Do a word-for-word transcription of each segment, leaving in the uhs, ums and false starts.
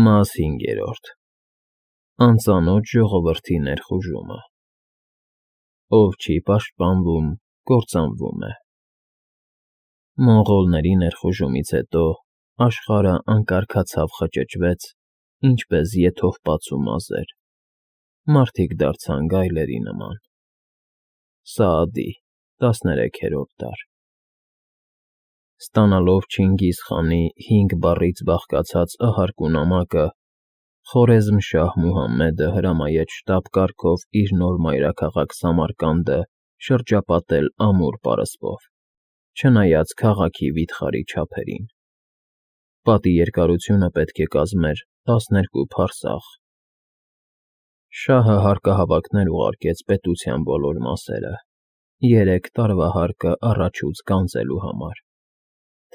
Մաս հինգերորդ. Անծանոթ ժողովրդի ներխուժումը. Ով չի պաշտպանվում, կործանվում է։ Մոնղոլների ներխուժումից հետո աշխարհը անկարգացավ խճճվեց, ինչպես եթովպածու մազեր, մարդիկ դարձան գայլերի նման։ Սաադի, տասներեքերորդ դար։ Ստանալով Չինգիզ խանի հինգ բառից բաղկացած ահարկու նամակը, Խորեզմշահ Մուհամմեդը հրամայեց շտապ կարգով իր նոր մայրաքաղաք Սամարկանդը շրջապատել ամուր պարսպով, չնայած քաղաքի վիթխարի չափերին։ Պատի երկարությունը պետք է կազմեր տասներկու փարսաղ։ Շահը հարկահավաքներ ուղարկեց պետության բոլոր մասերը, երեք տարվա հարկը առաջուց գանձելու համար,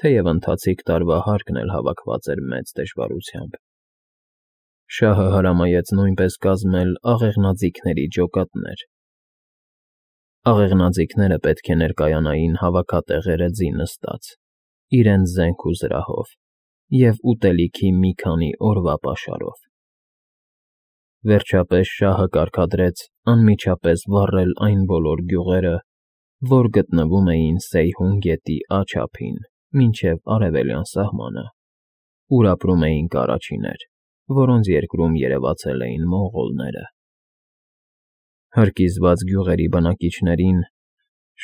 թեև ընթացիկ տարվա հարկն էլ հավաքված էր մեծ դժվարությամբ։ Շահը հրամայեց նույնպես կազմել աղեղնաձիգների ջոկատներ։ Աղեղնաձիգները պետք է ներկայանային հավաքատեղերը ձի նստած, իրենց զենք ու զրահով և ուտելիքի մի քանի օրվա պաշարով։ Վերջապես շահը կարգադրեց անմիջապես վառել այն բոլոր գյուղերը, որ գտնվում էին Սեյհուն գետի Ա չափին մինչև արևելյան սահմանը, ուր ապրում էին կարաչիներ, որոնց երկրում երևացել էին մոնղոլները։ Հրկիզված գյուղերի բնակիչներին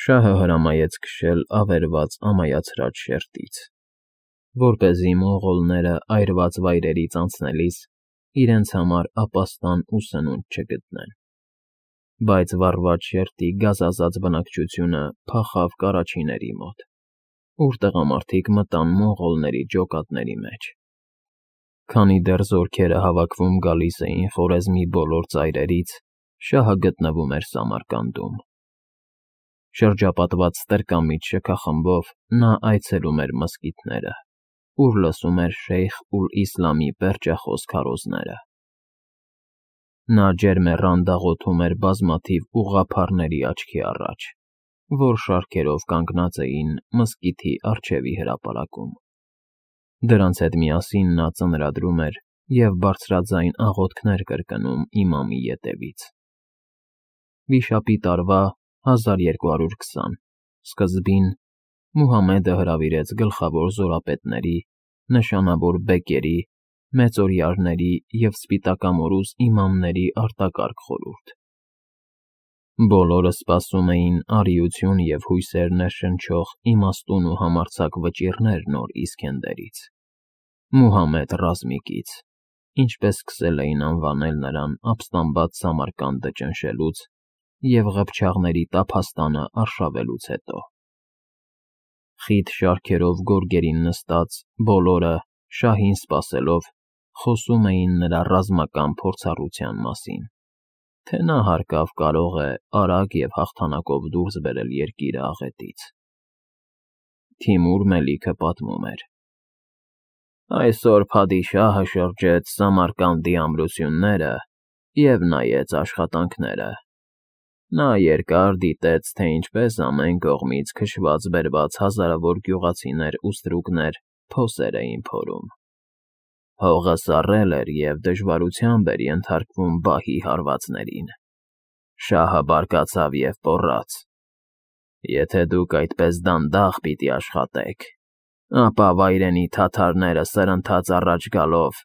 շահը հրամայեց քշել ավերված ամայացրած շերտից, որպեսզի մոնղոլները այրված վայրերից անցնելիս իրենց համար ապաստան ու սնունդ չգտնեն։ Բայց վառված շերտի գազազած բնակչությունը փախավ կարաչիների մոտ, ուր տղամարդիկ մտան մոնղոլների ջոկատների մեջ։ Քանի դեռ զորքերը հավաքվում գալիս էին Խորեզմի բոլոր ծայրերից, շահը գտնվում էր Սամարկանդում։ Շրջապատված ստրկամիտ շքախմբով նա այցելում էր մզկիթները, ուր լսում էր Շեյխ Ուլ֊Իսլամի պերճախոս քարոզները։ Նա ջերմեռան դաղոթում էր բազմաթիվ ուղղափառների աչքի առաջ, որ շարքերով կանգնած էին մզկիթի առջևի հրապարակում։ Դրանց հետ միասին նա ծնրադրում էր և բարձրաձայն աղոթքներ կրկնում իմամի ետևից։ Վիշապի տարվա հազար երկու հարյուր քսան սկզբին Մուհամմեդը հրավիրեց գլխավոր զորապետների, նշանավոր բեկերի, մեծօրիարների և սպիտակամորուս իմամների արտակարգ խորհուրդ։ Բոլորը սպասում էին արիություն և հույսեր ներշնչող իմաստուն ու համարձակ վճիռներ նոր Իսքենդերից, Մուհամմեդ Ռազմիկից, ինչպես սկսել էին անվանել նրան ապստամբած Սամարկանդը ճնշելուց և ղփչաղների տափաստանը արշավելուց հետո։ Խիտ շարքերով գորգերին նստած բոլորը, շահին սպասելով, խոսում էին նրա ռազմական փորձառության մասին, թե նա հարկավ կարող է արագ և հաղթանակով դուրս բերել երկիրը աղետից։ Թիմուր Մելիքը պատմում էր. Այսօր փադիշահը շրջեց Սամարկանդի ամրությունները և նայեց աշխատանքները։ Նա երկար դիտեց, թե ինչպես ամեն կողմից քշված֊բերված հազարավոր գյուղացիներ ու ստրուկներ փոսեր էին փորում։ Հողը սառել էր և դժվարությամբ էր ենթարկվում բահի հարվածներին։ Շահը բարկացավ և պոռաց. Եթե դուք այդպես դանդաղ պիտի աշխատեք, ապա վայրենի թաթարները սրընթաց առաջ գալով,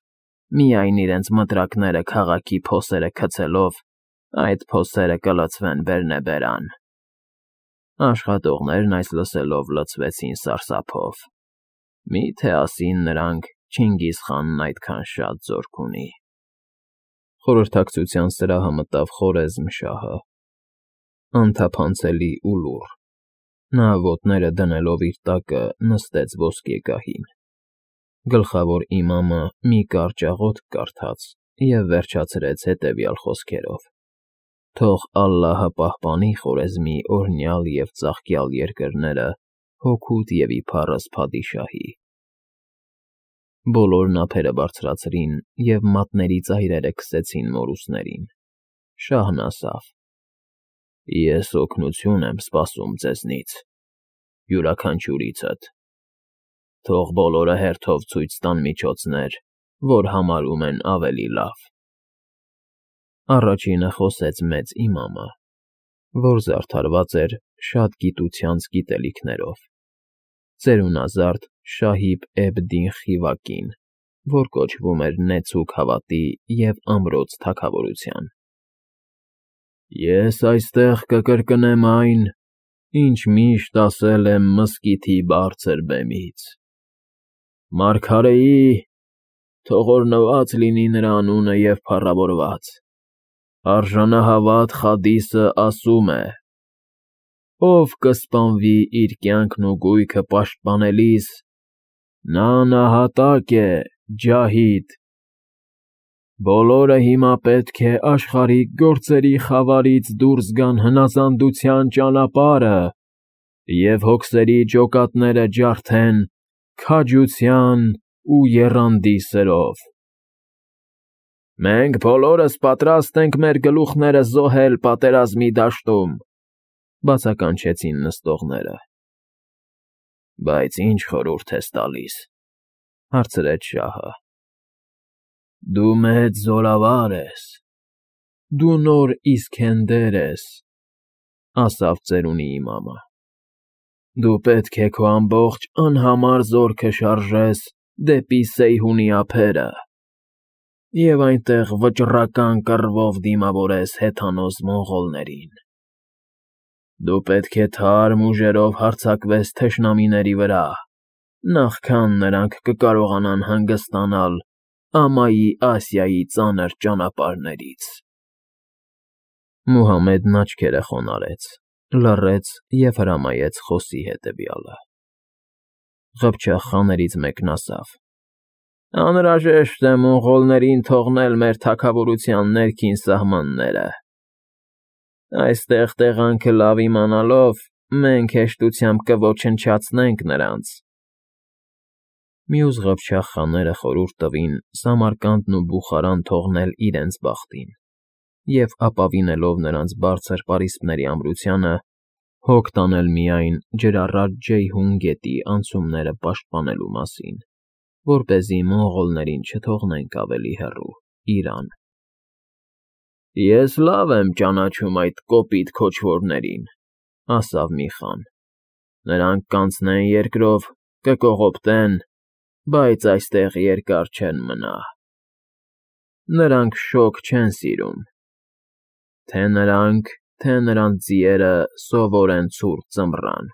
միայն իրենց մտրակները քաղաքի փոսերը գցելով, այդ փոսերը կլցվեն բերնեբերան։ Աշխատողներն այս լսելով լցվեցին սարսափով. Մի՞թե ասին նրանք Չինգիզ խանն այդքան շատ զորք ունի։ Խորհրդակցության սրահը մտավ Խորեզմշահը, անթափանցելի ու լուռ։ Նա ոտները դնելով իր տակը նստեց ոսկեգահին։ Գլխավոր իմամը մի կարճ աղոթք կարդաց և վերջացրեց հետևյալ խոսքերով. Թող Ալլահը պահպանի Խորեզմի օրհնյալ և ծաղկյալ երկրները հօգուտ և իբառս փադիշահի։ Բոլորն ափերը բարձրացրին և մատների ծայրերը քսեցին մորուսներին։ Շահն ասավ. Ես օգնություն եմ սպասում ձեզնից, յուրաքանչյուրիցդ։ Թող բոլորը հերթով ցույց տան միջոցներ, որ համարում են ավելի լավ։ Առաջինը խոսեց մեծ իմամը, որ զարդարված էր շատ գիտությանց գիտելիքներով, ծերունազարդ Շահիբ֊էբ֊Դին Խիվակին, որ կոչվում էր Նեցուկ հավատի և ամրոց թագավորության։ Ես այստեղ կկրկնեմ այն, ինչ միշտ ասել եմ մզկիթի բարձր բեմից. Մարգարեի, թողորնված լինի նրա անունը և փառավորված, արժանահավատ Խադիսը ասում է. ով կսպանվի իր կյանքն ու գույքը պաշտպանելիս, նա նահատակ է, ջահիդ։ Բոլորը հիմա պետք է աշխարհիկ գործերի խավարից դուրս գան հնազանդության ճանապարհը և հոգսերի ջոկատները ջարդեն քաջության ու եռանդի սրով։ Մենք բոլորս պատրաստ ենք մեր գլուխները զոհել պատերազմի դաշտում, բացականչեցին նստողները։ Բայց ի՞նչ խորհուրդ ես տալիս, հարցրեց շահը։ Դու մեծ զորավար ես, դու նոր Իսքենդեր ես, ասավ ծերունի իմամը։ Դու պետք է քո ամբողջ անհամար զորքը շարժես դեպի Սեյհունի ափերը և այնտեղ վճռական կռվով դիմավորես հեթանոս մոնղոլներին։ Դու պետք է թարմ ուժերով հարձակվես թշնամիների վրա, նախքան նրանք կկարողանան հանգստանալ Ամայի Ասիայի ծանր ճանապարհներից։ Մուհամեդն աչքերը խոնարհեց, լռեց և հրամայեց խոսի հետևյալը։ Ղփչաղ խաներից մեկն ասավ. Անհրաժեշտ է մոնղոլներին թողնել մեր թագավորության ներքին սահմանները։ Այստեղ տեղանքը լավ իմանալով, մենք հեշտությամբ կոչնչացնենք նրանց։ Մյուս ղփչաղ խաները խորհուրդ տվին Սամարկանդն ու Բուխարան թողնել իրենց բախտին և ապավինելով նրանց բարձր պարիսպների ամրությանը, հոգ տանել միայն ջրառատ Ջեյհուն գետի անցումները պաշտպանելու մասին, որպեսզի մոնղոլներին չթողնենք ավելի հեռու, Իրան։ Ես լավ եմ ճանաչում այդ կոպիտ քոչվորներին, ասավ մի խան։ Նրանք կանցնեն երկրով, կկողոպտեն, բայց այստեղ երկար չեն մնա։ Նրանք շոգ չեն սիրում։ Թե նրանք, թե նրանց ձիերը սովոր են ցուրտ ձմռան։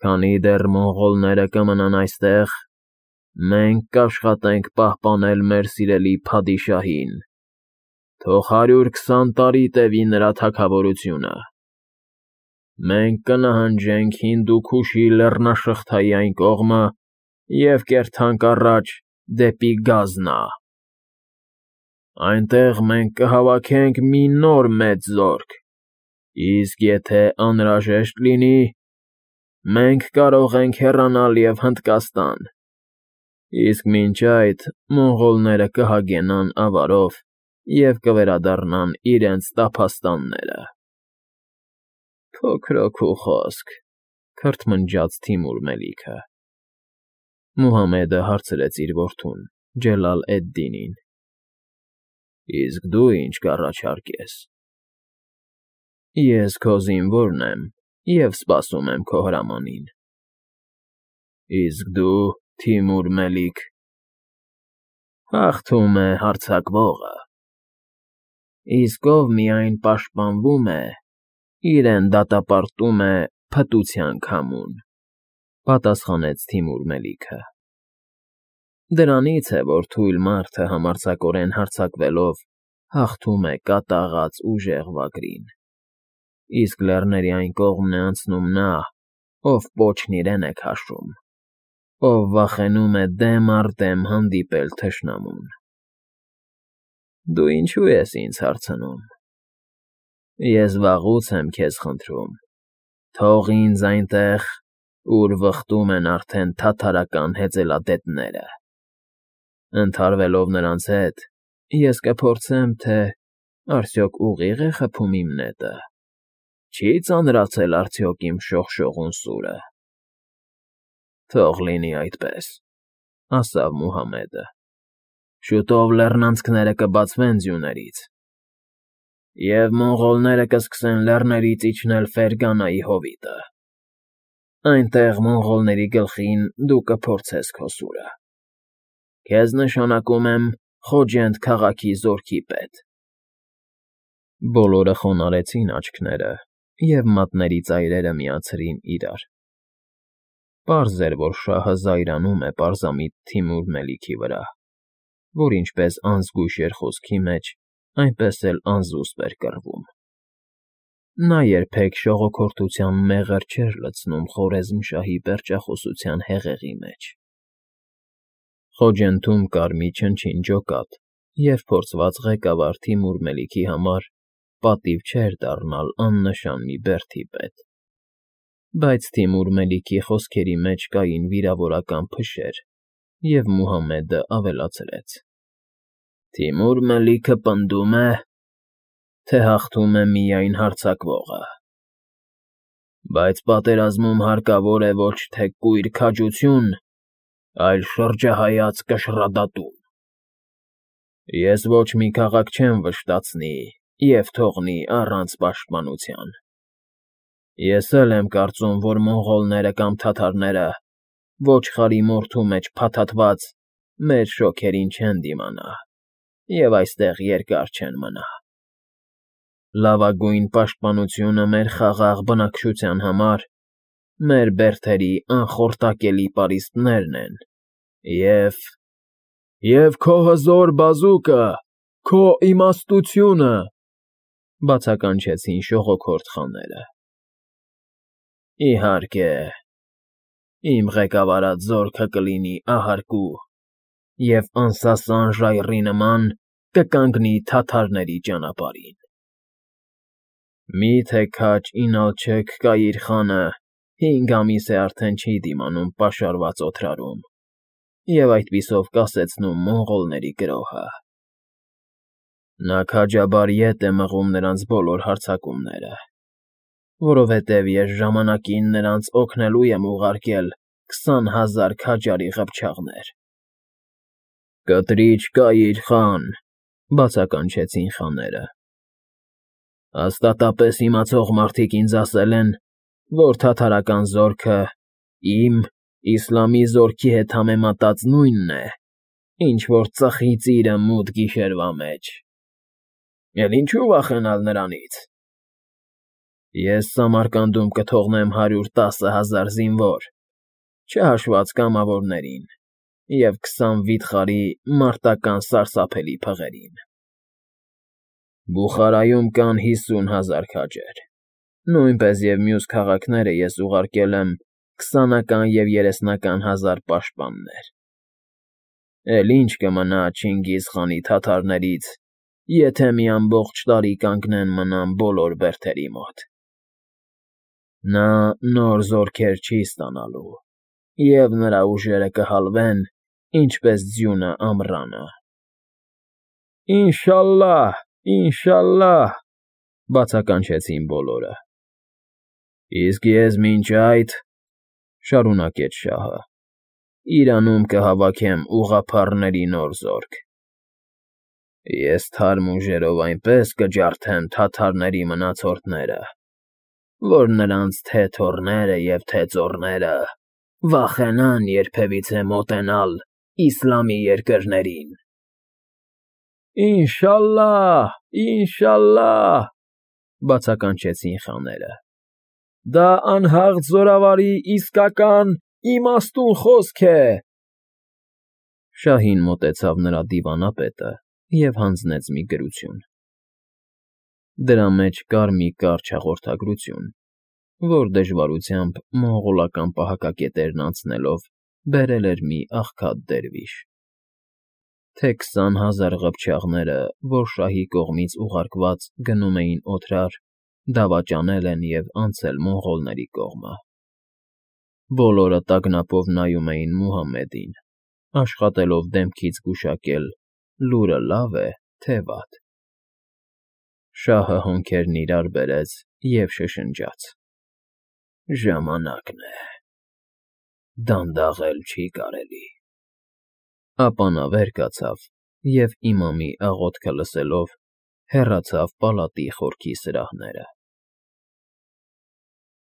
Քանի դեռ մոնղոլները կմնան այստեղ, մենք կաշխատենք պահպանել մեր սիրելի փադիշահին, թող հարյուր քսան տարի տևի նրա թագավորությունը։ Մենք կնահանջենք Հինդուքուշի լեռնաշղթայի այն կողմը և կերթանք առաջ դեպի Գազնա։ Այնտեղ մենք կհավաքենք մի նոր մեծ զորք, իսկ եթե անհրաժեշտ լինի, մենք կարող ենք հեռանալ և Հնդկաստան, իսկ մինչ այդ մոնղոլները կհագենան ավարով և կվերադառնան իրենց տափաստանները։ Փոքրոք ու խոսք, քրթմնջաց Թիմուր Մելիքը։ Մուհամեդը հարցրեց իր որդուն՝ Ջելալ֊էդ֊Դինին. Իսկ դու ինչ կառաջարկես։ Ես քո զինվորն եմ և սպասում եմ քո հրամանին։ Իսկ դու, Թիմուր Մելիք։ Հաղթում է հարձակվողը։ Իսկ ով միայն պաշտպանվում է, իրեն դատապարտում է փտության քամուն, պատասխանեց Թիմուր Մելիքը։ Դրանից է, որ թույլ մարդը համարձակորեն հարձակվելով հաղթում է կատաղած ուժեղ վագրին, իսկ լեռների այն կողմն է անցնում նա, ով պոչն իրեն է քաշում, ով վախենում է դեմ առ դեմ հանդիպել թշնամուն։ Դու ինչո՞ւ ես ինձ հարցնում։ Ես վաղուց եմ քեզ խնդրում, թող ինձ այնտեղ, ուր վխտում են արդեն թաթարական հեծելադետները։ Ընդհարվելով նրանց հետ, ես կփորձեմ, թե արդյոք ուղիղ է խփում իմ նետը, չի՞ ծանրացել արդյոք իմ շողշողուն սուրը։ Թող լինի այդպես, ասավ Մուհամեդը։ Շուտով լեռնանցքները կբացվեն ձյուներից, և մոնղոլները կսկսեն լեռներից իջնել Ֆերգանայի հովիտը. այնտեղ մոնղոլների գլխին դու կփորձես քո սուրը. քեզ նշանակում եմ Խոջենդ քաղաքի զորքի պետ։ Բոլորը խոնարհեցին աչքները և մատների ծայրերը միացրին իրար. պարզ էր, որ շահը զայրանում է պարզամիտ Թիմուր Մելիքի վրա, որ ինչպես անզգույշ էր խոսքի մեջ, այնպես էլ անզուսպ էր կռվում. նա երբեք շողոքորթության մեղր չէր լցնում Խորեզմշահի պերճախոսության հեղեղի մեջ։ Խոջենթում կար մի չնչին ջոկատ, և փորձված ղեկավար Թիմուր Մելիքի համար պատիվ չէր դառնալ աննշան մի բերդի պետ։ Բայց Թիմուր Մելիքի խոսքերի մեջ կային վիրավորական փշեր, և Մուհամեդը ավելացրեց. Թիմուր Մելիքը պնդում է, թե հաղթում է միայն հարձակվողը, բայց պատերազմում հարկավոր է ոչ թե կույր քաջություն, այլ շրջահայաց կշռադատում։ Ես ոչ մի քաղաք չեմ վշտացնի և թողնի առանց պաշտպանության։ Ես էլ եմ կարծում, որ մոնղոլները կամ թաթարները ոչխարի մորթու մեջ փաթաթված մեր շոգերին չեն դիմանա և այստեղ երկար չեն մնա։ Լավագույն պաշտպանությունը մեր խաղաղ բնակչության համար մեր բերդերի անխորտակելի պարիսպներն են, և… և քո հզոր բազուկը, քո իմաստությունը, բացականչեցին շողոքորթ խաները։ Իհարկե, իմ ղեկավարած զորքը կլինի ահարկու և անսասան ժայռի նման կկանգնի թաթարների ճանապարհին։ Մի՞թե քաջ Ինալչըք Կայիր խանը հինգ ամիս է արդեն չի դիմանում պաշարված օդրարում և այդպիսով կասեցնում մոնղոլների գրոհը։ Նա քաջաբար ետ է մղում նրանց բոլոր հարձակումները, որովհետև ես ժամանակին նրանց օգնելու եմ ուղարկել քսան հազար քաջարի ղփչաղներ։ Կտրիչ Կայիր խան, բացականչեցին խաները։ Հաստատապես իմացող մարդիկ ինձ ասել են, որ թաթարական զորքը իմ՝ իսլամի զորքի հետ համեմատած նույնն է, ինչ որ ծխի ծիրը մութ գիշերվա մեջ։ Էլ ինչու վախենալ նրանից։ Ես Սամարկանդում կթողնեմ հարյուր տասը հազար զինվոր, չհաշված կամավորներին, և քսան վիթխարի մարտական սարսափելի փղերին։ Բուխարայում կան հիսուն հազար քաջեր, նույնպես և մյուս քաղաքները ես ուղարկել եմ քսանական և երեսնական հազար պաշտպաններ։ Էլ ի՞նչ կմնա Չինգիզ խանի թաթարներից, եթե մի ամբողջ տարի կանգնեն մնան բոլոր բերդերի մոտ։ Նա նոր զորքեր չի ստանալու, և նրա ուժերը կհալվեն, ինչպես ձյունը ամռանը։ Ինշալլահ, ինշալլահ, բացականչեցին բոլորը։ Իսկ ես մինչ այդ, շարունակեց շահը, Իրանում կհավաքեմ ուղղափառների նոր զորք։ Ես թարմ ուժերով այնպես կջարդեմ թաթարների մնացորդները, որ նրանց թե՛ թոռները և թե՛ ծոռները վախենան երբևիցե մոտենալ իսլամի երկրներին։ Ինշալլահ, ինշալլահ, բացականչեցին խաները։ Դա անհաղթ զորավարի իսկական, իմաստուն խոսք է։ Շահին մոտեցավ նրա դիվանապետը և հանձնեց մի գրություն։ Դրա մեջ կար մի կարճ հաղորդագրություն, որ դժվարությամբ մոնղոլական պահակակետերն անցնելով բերել էր մի աղքատ դերվիշ։ Թե քսան հազար ղփչաղները, որ շահի կողմից ուղարկված գնում էին օդրար, դավաճանել են և անցել մոնղոլների կողմը։ Բոլորը տագնապով նայում էին Մուհամեդին, աշխատելով դեմքից գուշակել՝ լուրը լավ է, թե վատ։ Շահը հոնքերն իրար բերեց և շշնջաց. Ժամանակն է, դանդաղել չի կարելի։ Ապա նա վեր կացավ և, իմամի աղոթքը լսելով, հեռացավ պալատի խորքի սրահները։